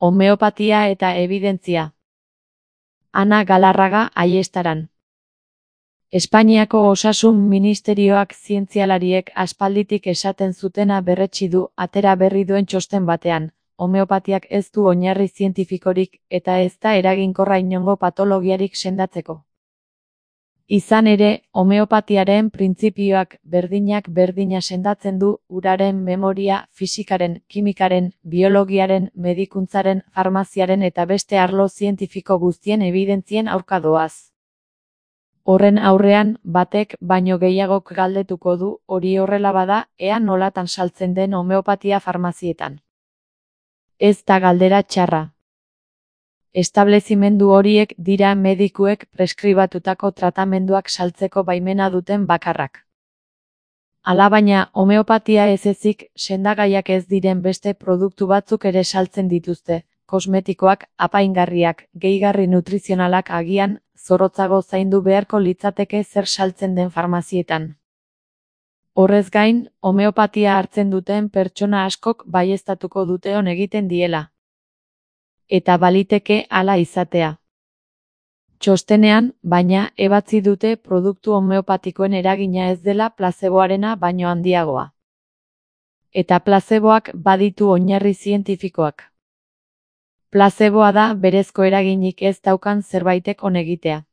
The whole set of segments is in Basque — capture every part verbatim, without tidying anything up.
Homeopatia eta ebidentzia. Ana Galarraga Aiestaran. Espainiako Osasun Ministerioak zientzialariek aspalditik esaten zutena berretsi du atera berri duen txosten batean. Homeopatiak ez du oinarri zientifikorik eta ez da eraginkorra inongo patologiarik sendatzeko. Izan ere, homeopatiaren printzipioak berdinak berdina sendatzen du uraren, memoria, fisikaren, kimikaren, biologiaren, medikuntzaren, farmaziaren eta beste arlo zientifiko guztien ebidentzien aurka doaz. Horren aurrean, batek baino gehiagok galdetuko du, hori horrela bada, ea nolatan saltzen den homeopatia farmazietan. Ez da galdera txarra. Establezimendu horiek dira medikuek preskribatutako tratamenduak saltzeko baimena duten bakarrak. Alabaina, homeopatia ez ezik, sendagaiak ez diren beste produktu batzuk ere saltzen dituzte, kosmetikoak, apaingarriak, gehigarri nutrizionalak agian, zorrotzago zaindu beharko litzateke zer saltzen den farmazietan. Horrez gain, homeopatia hartzen duten pertsona askok baieztatuko dute on egiten diela. Eta baliteke hala izatea. Txostenean, baina, ebatzi dute produktu homeopatikoen eragina ez dela plazeboarena baino handiagoa. Eta plazeboak baditu oinarri zientifikoak. Plazeboa da berezko eraginik ez daukan zerbaitek on egitea.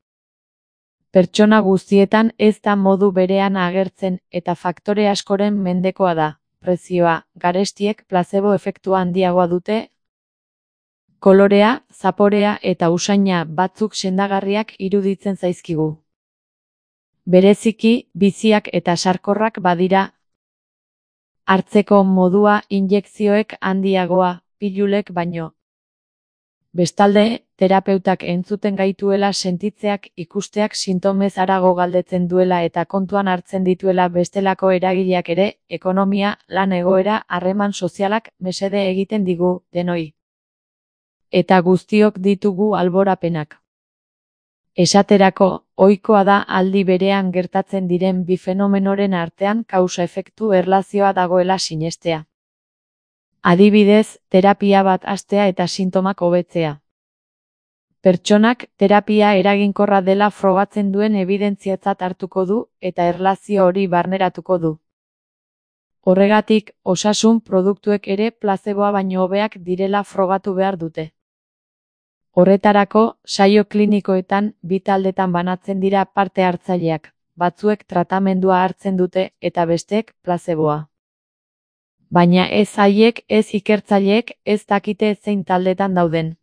Pertsona guztietan ez da modu berean agertzen eta faktore askoren mendekoa da. Prezioa, garestiek plazebo efektua handiagoa dute, kolorea, zaporea eta usaina batzuk sendagarriak iruditzen zaizkigu. Bereziki, biziak eta sarkorrak badira. Hartzeko modua injekzioek handiagoa, pilulek baino. Bestalde, terapeutak entzuten gaituela sentitzeak ikusteak sintomez harago galdetzen duela eta kontuan hartzen dituela bestelako eragileak ere, ekonomia, lan egoera, harreman sozialak mesede egiten digu, denoi. Eta guztiok ditugu alborapenak. Esaterako, ohikoa da aldi berean gertatzen diren bi fenomenoren artean kausa-efektu erlazioa dagoela sinestea. Adibidez, terapia bat hastea eta sintomak hobetzea. Pertsonak terapia eraginkorra dela frogatzen duen ebidentziatzat hartuko du eta erlazio hori barneratuko du. Horregatik, osasun produktuek ere plazeboa baino hobeak direla frogatu behar dute. Horretarako, saio klinikoetan bi taldetan banatzen dira parte hartzaileak, batzuek tratamendua hartzen dute eta besteek plazeboa. Baina ez haiek, ez ikertzaileek, ez dakite zein taldetan dauden.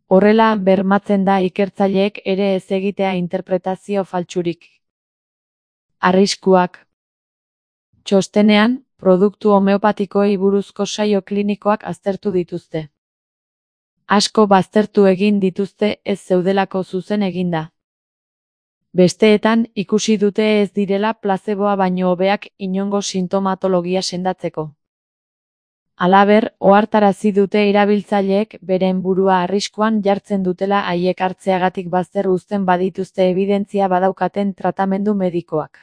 Horrela bermatzen da ikertzaileek ere ez egitea interpretazio faltsurik. Arriskuak. Txostenean, produktu homeopatikoei buruzko saio klinikoak aztertu dituzte. Asko baztertu egin dituzte ez zeudelako zuzen eginda. Besteetan, ikusi dute ez direla plazeboa baino hobeak inongo sintomatologia sendatzeko. Halaber, ohartarazi dute erabiltzaileek beren burua arriskuan jartzen dutela haiek hartzeagatik bazter uzten badituzte ebidentzia badaukaten tratamendu medikoak.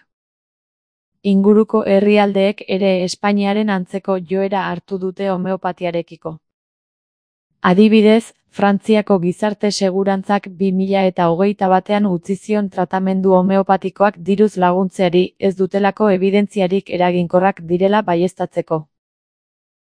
Inguruko herrialdeek ere Espainiaren antzeko joera hartu dute homeopatiarekiko. Adibidez, Frantziako gizarte segurantzak bi mila eta hogeita batean utzi zion tratamendu homeopatikoak diruz laguntzeari ez dutelako ebidentziarik eraginkorrak direla baieztatzeko.